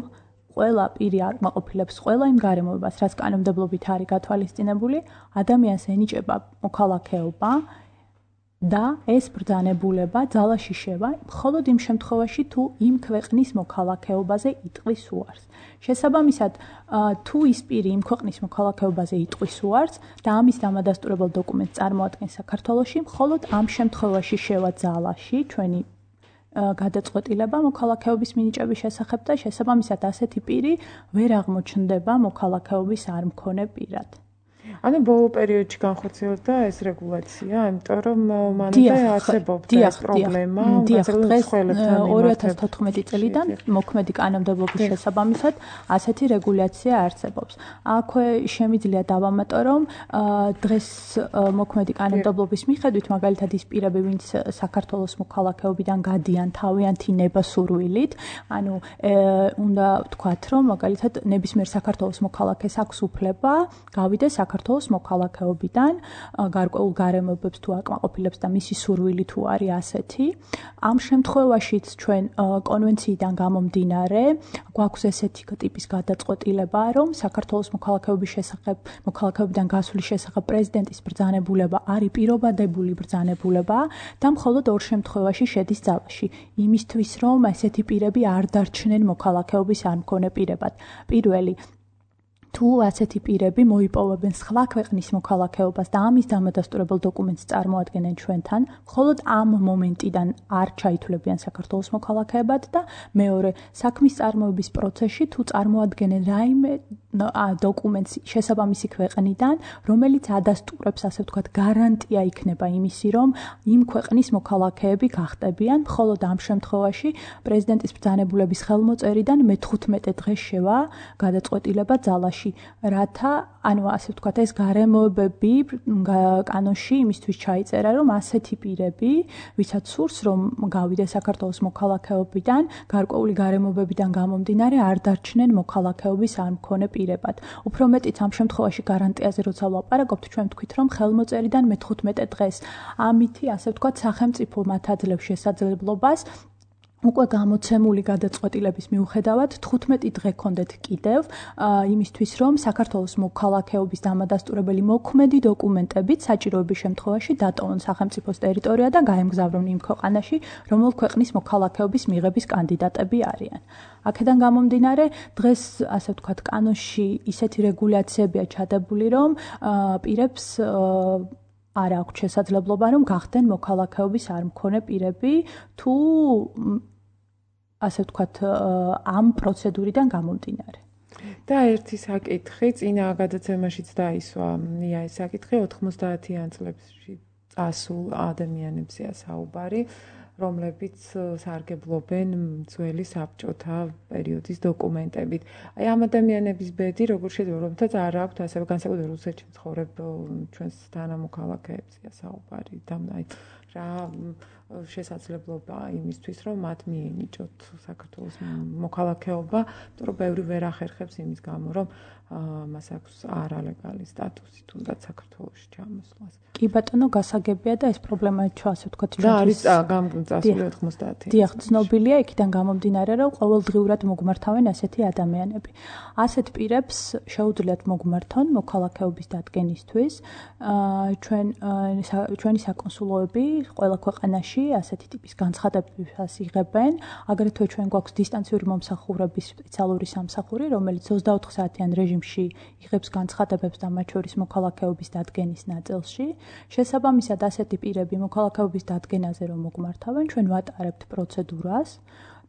[SPEAKER 4] ყველა პირი არ მაყოფილებს ყველა იმ გარემოებას, რაც კანონმდებლობით არის გათვალისწინებული, ადამიანს ენიჭება მოქალაქეობა და ეს ბრძანებულება ძალაში შევა მხოლოდ იმ შემთხვევაში, თუ იმ ქვეყნის მოქალაქეობაზე იტყვის უარს. შესაბამისად, თუ ის პირი იმ ქვეყნის მოქალაქეობაზე იტყვის უარს და ამის დამადასტურებელ დოკუმენტს წარმოადგენს საქართველოში, მხოლოდ ამ შემთხვევაში შევა ძალაში ჩვენი გადაწყვეტილება მოქალაქეობის მინიჭების შესახებ და შესაბამისად ასეთი პირი ვერ აღმოჩნდება მოქალაქეობის არ მქონე პირად.
[SPEAKER 2] ანუ ბოლო პერიოდში განხორციელდა ეს რეგულაცია, იმიტომ რომ მანამდე არსებობდა ეს პრობლემა,
[SPEAKER 4] მასალად ორი ათას თოთხმეტი წლიდან მოქმედი კანონმდებლობის შესაბამისად ასეთი რეგულაცია არსებობს. აქვე შემიძლია დავამატო, რომ დღეს მოქმედი კანონმდებლობის მიხედვით, მაგალითად ის პირები, ვინც საქართველოს მოქალაქეობიდან გადიან თავიანთი ნება-სურვილით, ანუ უნდა ვთქვათ, რომ მაგალითად ნებისმიერ საქართველოს მოქალაქეს აქვს უფლება გავიდეს საქართველოს მოქალაქეობიდან, გარკვეულ გარემოებებს თუ აკმაყოფილებს და მისი სურვილი თუ არის ასეთი. ამ შემთხვევაშიც ჩვენ კონვენციიდან გამომდინარე, გვაქვს ესეთი ტიპის გადაწყვეტილება, რომ საქართველოს მოქალაქეობის შესახებ, მოქალაქეობიდან გასვლის შესახებ პრეზიდენტის ბრძანებულება არის პირობადებული ბრძანებულება და მხოლოდ ორ შემთხვევაში შედის ძალაში. იმისთვის, რომ ესეთი პირები არ დარჩნენ მოქალაქეობის არ მქონე პირებად. პირველი თუ ასეთი პირები მოიპოვებენ სხვა ქვეყნის მოქალაქეობას და ამის დამადასტურებელ დოკუმენტს წარმოადგენენ ჩვენთან, მხოლოდ ამ მომენტიდან არ ჩაითვლებიან საქართველოს მოქალაქეებად და მეორე, საქმის წარმოების პროცესში თუ წარმოადგენენ რაიმე დოკუმენტს შესაბამისი ქვეყნიდან, რომელიც ადასტურებს, ასე ვთქვათ, გარანტია იქნება იმისი, რომ იმ ქვეყნის მოქალაქეები გახდებიან, მხოლოდ ამ შემთხვევაში პრეზიდენტის ბრძანებულების ხელმოწერიდან მეთხუთმეტე დღეს შევა გადაწყვეტილება ძალაში. რათა, ანუ ასე ვთქვათ, ეს გარემოებები კანონში იმისთვის ჩაიწერა, რომ ასეთი პირები, ვისაც სურს, რომ გავიდეს საქართველოს მოქალაქეობიდან, გარკვეული გარემოებებიდან გამომდინარე, არ დარჩნენ მოქალაქეობის არ მქონე პირებად. უფრო მეტიც ამ შემთხვევაში გარანტიაზე როცა ვლაპარაკობთ, ჩვენ ვთქვით, რომ ხელმოწერიდან მეთხუთმეტე დღეს. ამითი, ასე ვთქვათ, სახელმწიფო მათ აძლევს შესაძლებლობას უკვე გამოცემული გადაწყვეტილების მიუხედავად თხუთმეტი დღე ქონდეთ კიდევ იმისთვის, რომ საქართველოს მოქალაქეობის დამადასტურებელი მოქმედი დოკუმენტებით საჭიროების შემთხვევაში დატოვონ სახელმწიფოს ტერიტორია და გაემგზავრონ იმ ქვეყანაში, რომელ ქვეყნის მოქალაქეობის მიღების კანდიდატები არიან. აქედან გამომდინარე, დღეს, ასე ვთქვათ, კანონში ისეთი რეგულაციებია ჩადებული, რომ პირებს არ აქვს შესაძლებლობა, რომ გახდნენ მოქალაქეობის არ მქონე პირები, თუ ასე ვთქვათ, ამ პროცედურიდან გამომდინარე.
[SPEAKER 2] და ერთი საკითხი, წინა გადაცემაშიც დაისვა, ნია ეს საკითხი ოთხმოცდაათიან წლებში წასულ ადამიანებზეა საუბარი, რომლებიც სარგებლობენ ძველი საბჭოთა პერიოდის დოკუმენტებით. აი ამ ადამიანების ბედი, როგორ შეიძლება, რომელთაც არ აქვთ ასევე განსაკუთრებით რუსეთში მცხოვრებ ჩვენს თანამოქალაქეებზეა საუბარი და აი რა შესაძლებლობა იმისთვის, რომ მათ მიენიჭოთ საქართველოს მოქალაქეობა, იმიტომ რომ ბევრი ვერ ახერხებს იმის გამო, რომ მას აქვს არალეგალი სტატუსი, თუნდაც საქართველოში ჩამოსვლას.
[SPEAKER 4] კი ბატონო, გასაგებია და ეს პრობლემა ჩვენ ასე ვთქვათ,
[SPEAKER 2] ჩვენ არის წასული ოთხმოცდაათი.
[SPEAKER 4] დიახ, ცნობილია იქიდან გამომდინარე, რომ ყოველდღიურად მოგმართავენ ასეთი ადამიანები. ასეთ პირებს შეუძლიათ მოგმართონ მოქალაქეობის დადგენისთვის. ჩვენ ჩვენი საკონსულოები ყველა ქვეყანაში ასეთი ტიპის განცხადებას იღებენ. აგრეთვე ჩვენ გვაქვს დისტანციური მომსახურების სპეციალური სამსახური, რომელიც ოცდაოთხ საათიან რეჟიმში იღებს განცხადებებს და მათ შორის მოქალაქეობის დადგენის ნაწილში. შესაბამისად, ასეთი პირები მოქალაქეობის დადგენაზე რომ მოგმართავენ, ჩვენ ვატარებთ პროცედურას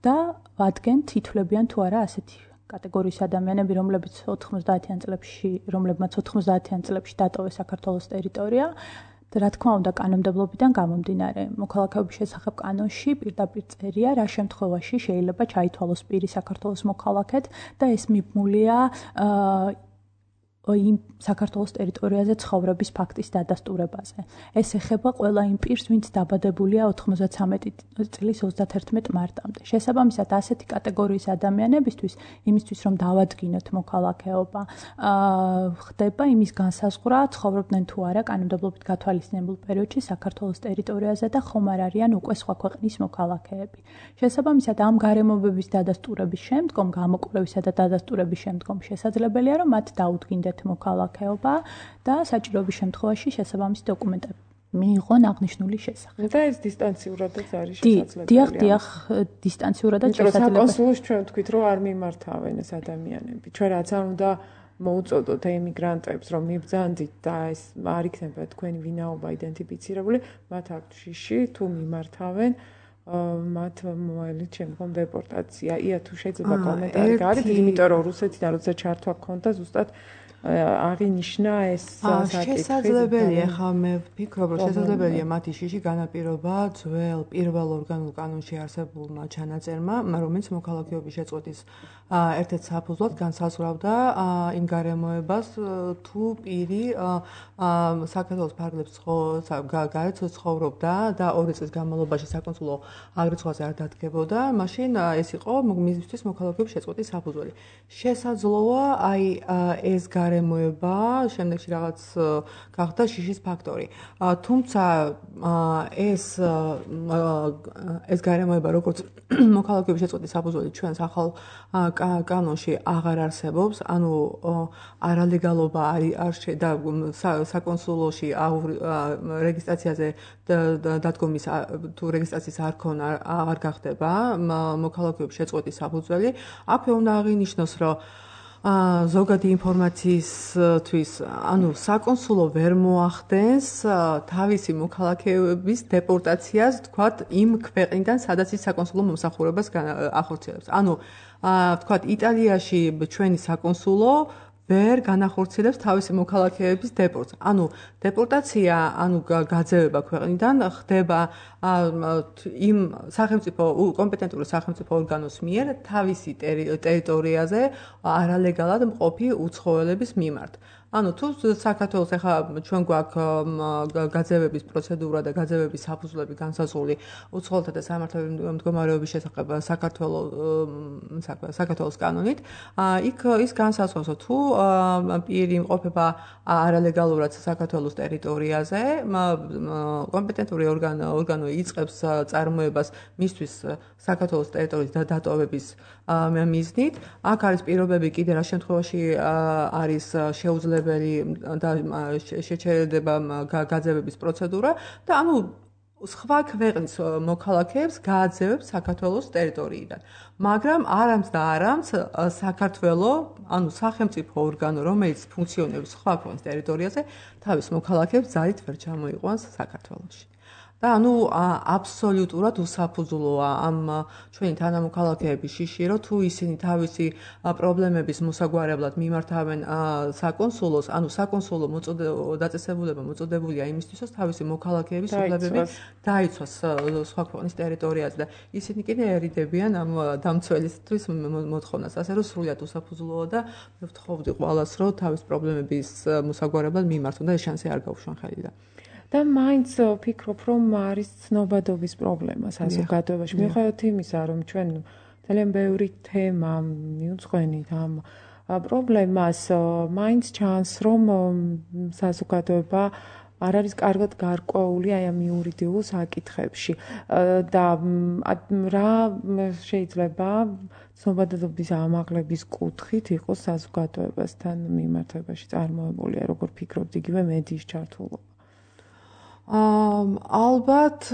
[SPEAKER 4] და ვადგენთ, ითვლებიან თუ არა ასეთი კატეგორიის ადამიანები, რომლებიც ოთხმოცდაათიან წლებში, რომლებმაც ოთხმოცდაათიან წლებში დატოვეს საქართველოს ტერიტორია. რა თქმა უნდა, კანონმდებლობიდან გამომდინარე, მოქალაქეობის შესახებ კანონში პირდაპირ წერია, რა შემთხვევაში შეიძლება ჩაითვალოს პირი საქართველოს მოქალაქედ და ეს მიბმულია იმ საქართველოს ტერიტორიაზე ცხოვრების ფაქტის დადასტურებაზე. ეს ეხება ყველა იმ პირს, ვინც დაბადებულია ოთხმოცდათვრამეტი წლის ოცდათერთმეტ მარტამდე. შესაბამისად, ასეთი კატეგორიის ადამიანებისთვის, იმისთვის რომ დავადგინოთ მოქალაქეობა, ხდება იმის განსაზღვრა, ცხოვრობდნენ თუ არა კანონმდებლობით გათვალისწინებულ პერიოდში საქართველოს ტერიტორიაზე და ხომ არ არიან უკვე სხვა ქვეყნის მოქალაქეები. შესაბამისად, ამ გარემოებების დადასტურების შემდგომ, გამოკვლევისა და დადასტურების შემდგომ შესაძლებელია, რომ მათ დაუდგინდეთ მოქალაქეობა და საჭიროების შემთხვევაში შესაბამისი დოკუმენტები მიიღონ აღნიშნული შესახებ.
[SPEAKER 2] და ეს დისტანციურადაც არის შესაძლებელი.
[SPEAKER 4] დიახ, დიახ, დისტანციურადაც შესაძლებელი.
[SPEAKER 2] საკონსულოში ჩვენ ვთქვით, რომ არ მიმართავენ ეს ადამიანები. ჩვენ რაც არ უნდა მოუწოდოთ ემიგრანტებს, რომ მიბრძანდით და ეს არ იქნება თქვენი ვინაობა იდენტიფიცირებული, მათ აქვთ შიში თუ მიმართავენ მათ მოელით შემდგომ დეპორტაცია. ია თუ შეიძლება კომენტარი გაიგეთ, იმიტომ რომ რუსეთიდან როცა ჩართვა გქონდა ზუსტად აღინიშნა ეს საკითხი.
[SPEAKER 3] შესაძლებელია, ხა მე ვფიქრობ, რომ შესაძლებელია მათი შიში განაპირობა ძველ პირველ ორგანულ კანონში არსებულმა ჩანაწერმა, რომელიც მოქალაქეობის შეწყვეტის ერთ-ერთ საფუძვლად განსაზღვრავდა იმ გარემოებას, თუ პირი საქართველოს ფარგლებს გარეთ ცხოვრობდა და ორი წლის განმავლობაში საკონსულო აგრეთვე არ დადგებოდა, მაშინ ეს იყო მისთვის მოქალაქეობის შეწყვეტის საფუძველი. შესაძლოა აი ეს გარემოება შემდეგში რაღაც გახდა შიშის ფაქტორი. თუმცა ეს ეს გარემოება როგორც მოქალაქეობის შეწყვეტის საფუძველი ჩვენს ახალ კანონში აღარ არსებობს, ანუ არალეგალობა არის და საკონსულოში რეგისტრაციაზე დადგომის თუ რეგისტრაციის არქონა აღარ გახდება მოქალაქეობის შეწყვეტის საფუძველი. აქვე უნდა აღინიშნოს, რომ ზოგადი ინფორმაციისთვის, ანუ საკონსულო ვერ მოახდენს თავისი მოქალაქეების დეპორტაციას, თქვათ, იმ ქვეყნიდან, სადაც ის საკონსულო მომსახურებას ახორციელებს. ანუ თქვათ, იტალიაში ჩვენი საკონსულო ვერ განახორციელებს თავისი მოქალაქეების დეპორტს. ანუ დეპორტაცია, ანუ გაძევება ქვეყნიდან ხდება იმ სახელმწიფო კომპეტენტური სახელმწიფო ორგანოს მიერ თავისი ტერიტორიაზე არალეგალად მყოფი უცხოელების მიმართ. ანუ თუ საქართველოს ახლა ჩვენ გვაქვს გაძევების პროცედურა და გაძევების საფუძვლები განსაზღვრული უცხოელთა და სამართლებრივი მდგომარეობის შესახებ საქართველოს საქართველოს კანონით, იქ ის განსაზღვრავს, თუ პირი იმყოფება არალეგალურად საქართველოს ტერიტორიაზე, კომპეტენტური ორგანო იწყებს წარმოებას მისთვის საქართველოს ტერიტორიის დატოვების მიზნით. აქ არის პირობები კიდე რა შემთხვევაში არის შეუძლებელი და შეჩერდება გაძევების პროცედურა და ანუ სხვა ქვეყნის მოქალაქეებს გააძევებს საქართველოს ტერიტორიიდან. მაგრამ არამც და არამც საქართველოს, ანუ სახელმწიფო ორგანო, რომელიც ფუნქციონირებს სხვა ქვეყნის ტერიტორიაზე, თავის მოქალაქეებს ძალით ვერ ჩამოიყვანს საქართველოში. და ანუ აბსოლუტურად უსაფუძვლოა ამ ჩვენი თანამოქალაქეების შიში, რომ თუ ისინი თავისი პრობლემების მოსაგვარებლად მიმართავენ საკონსულოს, ანუ საკონსულო დაწესებულება მოწოდებულია იმისთვის, რომ თავისი მოქალაქეების უფლებები დაიცვას სხვა ქვეყნის ტერიტორიაზე და ისინი კიდე ერიდებიან ამ დამცველისთვის მოთხოვნას, ასე რომ სრულიად უსაფუძვლოა და მე ვთხოვდი ყველას, რომ თავის პრობლემების მოსაგვარებლად მიმართონ და ეს შანსი არ გაუშვან ხელიდან.
[SPEAKER 2] და მაინც ვფიქრობ, რომ არის ცნობადობის პრობლემა საზოგადოებაში. მიუხედავად იმისა, რომ ჩვენ ძალიან ბევრი თემა მიუძღვენით ამ პრობლემას, მაინც ჩანს, რომ საზოგადოება არ არის კარგად გარკვეული აი ამ იურიდიულ საკითხებში და რა შეიძლება ცნობადობის ამაღლების კუთხით იყოს საზოგადოებასთან მიმართებაში წარმოებული, როგორ ფიქრობთ, იგივე მედიის ჩართულობა?
[SPEAKER 3] ალბათ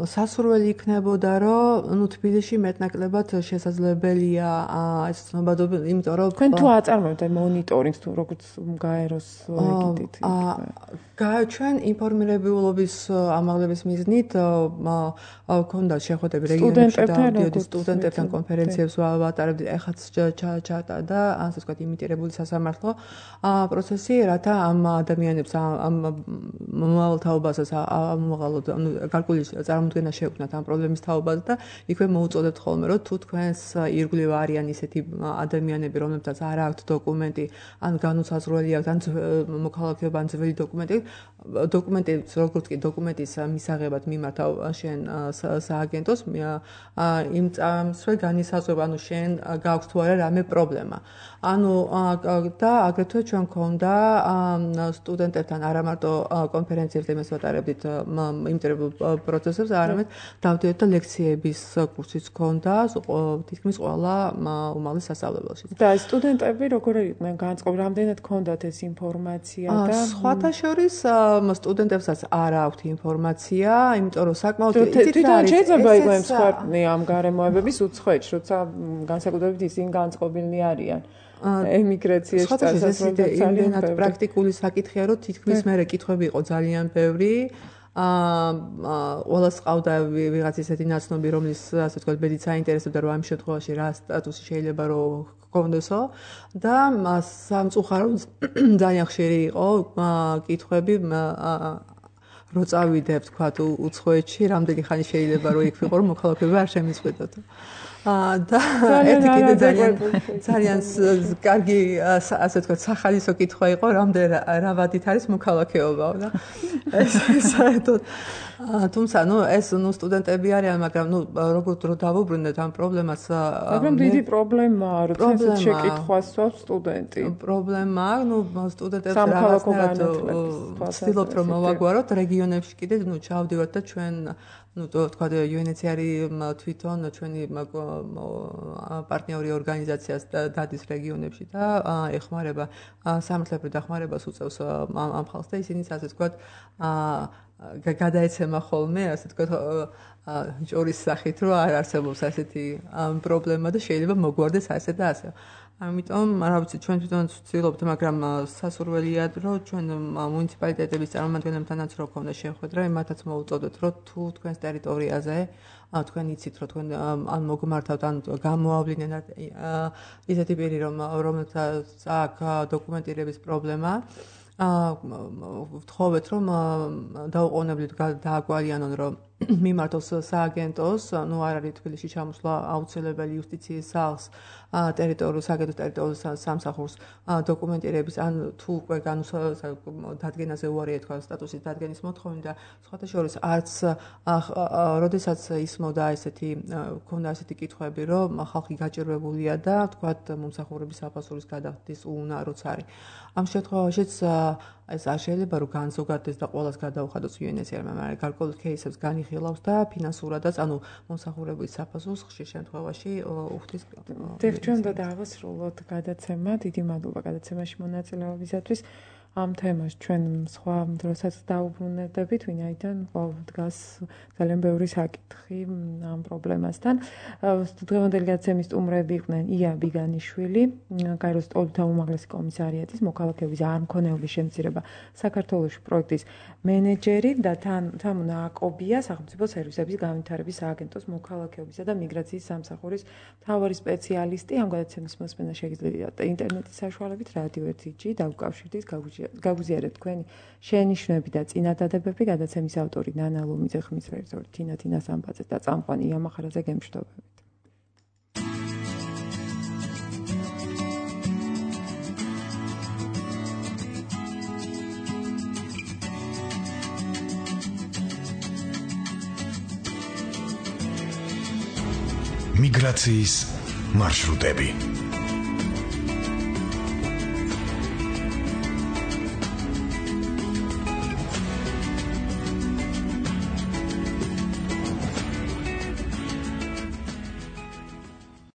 [SPEAKER 3] სასურველი იქნებოდა, რომ ნუ თბილისში მეტნაკლებად შესაძლებელია ეს ცნობადობა, იმიტომ რომ
[SPEAKER 2] თქვენ თუ აწარმოებთ მონიტორინგს თუ როგორც გაეროს ეგიდით.
[SPEAKER 3] ჩვენ ინფორმირებულობის ამაღლების მიზნით გქონდა შეხვედრები რეგიონებში და დიოდი სტუდენტებთან კონფერენციებს ვატარებდი, ეხაც ჩატარდა, ასე ვთქვათ, იმიტირებული სასამართლო პროცესი, რათა ამ ადამიანებს ამ მომავალ თაობასაც ამოღალოთ, ანუ გარკვეული წარმოდგენა შეექმნათ ამ პრობლემის თაობაზე და იქვე მოუწოდებთ ხოლმე, რომ თუ თქვენს ირგვლივ არიან ისეთი ადამიანები, რომლებსაც არ აქვთ დოკუმენტი, ან განუსაზღვრელი აქვთ, ან მოქალაქეობა, ან ძველი დოკუმენტი, დოკუმენტის როგორც კი დოკუმენტის მისაღებად მიმართავ შენ სააგენტოს, იმ წამსვე განისაზღვრება, ანუ შენ გაქვს თუ არა რამე პრობლემა. ანუ და აგრეთვე ჩვენ გქონდა სტუდენტებთან არა მარტო კონფერენციებზე იმას ვატარებდით იმტერებულ პროცესებს, არამედ დავდიოდით და ლექციების კურსიც გქონდა თითქმის ყველა უმაღლეს სასწავლებელში.
[SPEAKER 2] და სტუდენტები როგორ იყვნენ განწყობილი, რამდენად გქონდათ ეს ინფორმაცია და
[SPEAKER 3] სხვათა შორის სტუდენტებსაც არ აქვთ ინფორმაცია, იმიტომ რომ საკმაოდ
[SPEAKER 2] თვითონ შეიძლება იყვნენ მსხვერპლი ამ გარემოებების უცხოეთში, როცა განსაკუთრებით ისინი განწყობილნი არიან. ემიგრაციაში
[SPEAKER 3] წასვლაზე იმდენად პრაქტიკული საკითხია, რომ თითქმის მე კითხვები იყო ძალიან ბევრი. აა ყველას ყავდა ვიღაც ისეთი ნაცნობი, რომლის ასე ვთქვათ, ბედით საინტერესებდა, რომ ამ შემთხვევაში რა სტატუსი შეიძლება რომ გქონდოსო და სამწუხაროდ ძალიან ხშირი იყო კითხვები რო წავიდე, ვთქვათ, უცხოეთში, რამდენი ხანი შეიძლება რომ იქ ვიყო, რომ მოქალაქეობა არ შემიწყვეტოთ. და ერთი კიდე ძალიან ძალიან კარგი ასე ვთქვათ, სახალისო კითხვა იყო, რამდენი რა ვადით არის მოქალაქეობა და ეს საერთოდ თუმცა ნუ ეს ნუ სტუდენტები არიან, მაგრამ ნუ როგორ დრო დავუბრუნდეთ ამ პრობლემას.
[SPEAKER 2] მაგრამ დიდი პრობლემაა, რომ ეს შეკითხვას სვავს სტუდენტი.
[SPEAKER 3] პრობლემაა, ნუ სტუდენტებს რაღაცნაირად ვცდილობთ რომ მოვაგვაროთ რეგიონებში კიდე ნუ ჩავდივართ და ჩვენ ну то თქვა იუ ენ ეიჩ არ თვითონ ჩვენი პარტნიორი ორგანიზაციას დადის რეგიონებში და ეხმარება სამართლებრივ დახმარებას უწევს ამ ხალხს და ისინი ასე თქვა გადაეცემა ხოლმე ასე თქვა ჯორის სახით რომ არ არსებობს ასეთი პრობლემა და შეიძლება მოგვარდეს ასე და ასე. ამიტომ რა ვიცი ჩვენ თვითონ ვცდილობთ, მაგრამ სასურველია რომ ჩვენ მუნიციპალიტეტების წარმომადგენლებთანაც რო ქონდა შეხვედრა, მათაც მოუწოდოთ რომ თუ თქვენს ტერიტორიაზე თქვენ იცით რომ თქვენ ან მოგმართავთ ან გამოავლინენ ისეთი პირი რომ რომელთაც აქვს დოკუმენტირების პრობლემა ვთხოვეთ რომ დაუყოვნებლივ დააგვალიანონ რომ მიმართოს სააგენტოს, ნუ არ არის თბილისში ჩამოსვლა აუცილებელი იუსტიციის სახლს, ტერიტორიულ სააგენტოს ტერიტორიულ სამსახურს დოკუმენტირების ან თუ უკვე დადგენაზე უარია თქვა სტატუსის დადგენის მოთხოვნა და სხვათა შორის არც როდესაც ისმოდა ესეთი ქონდა ესეთი კითხვები რომ ხალხი გაჭირვებულია და თქვა მომსახურების საფასურის გადახდის უნაროც არის. ამ შემთხვევაშიც ეს არ შეიძლება რომ განზოგადდეს და ყველას გადაუხადოს იუ ენ ეიჩ არ-მა, მაგრამ გარკვეულ кейსებს განიხილავს და ფინანსურადაც, ანუ მომსახურების საფასურს ხშირ შემთხვევაში უხდის.
[SPEAKER 2] დევჩენ და დავასრულოთ გადაცემა. დიდი მადლობა გადაცემაში მონაწილეობისათვის. ამ თემას ჩვენ სხვა დროსაც დაუბრუნდებით, ვინაიდან დგას ძალიან ბევრი საკითხი ამ პრობლემასთან. დღევანდელი გადაცემის სტუმრები იყვნენ ია ბიგანიშვილი, კაიროს სტოლთა უმაღლესი კომისარიატის მოქალაქეობის არმქონეობის შემცირება საქართველოში პროექტის მენეჯერი და თამუნა აკობია, სახელმწიფო სერვისების განვითარების სააგენტოს მოქალაქეობისა და მიგრაციის სამსახურის მთავარი სპეციალისტი. ამ გადაცემის მოსმენა შეგიძლიათ ინტერნეტის საშუალებით რადიო ერთი ჯი დაუკავშირდით გაგვიჟ გაგვიზიარეთ თქვენი შენიშვნები და წინადადებები. გადაცემის ავტორი ნანა ლომიძე, ხმის რეჟისორი თინა თინასამბაძე და წამყვანი იამახარაძე გემშვიდობებით.
[SPEAKER 1] მიგრაციის მარშრუტები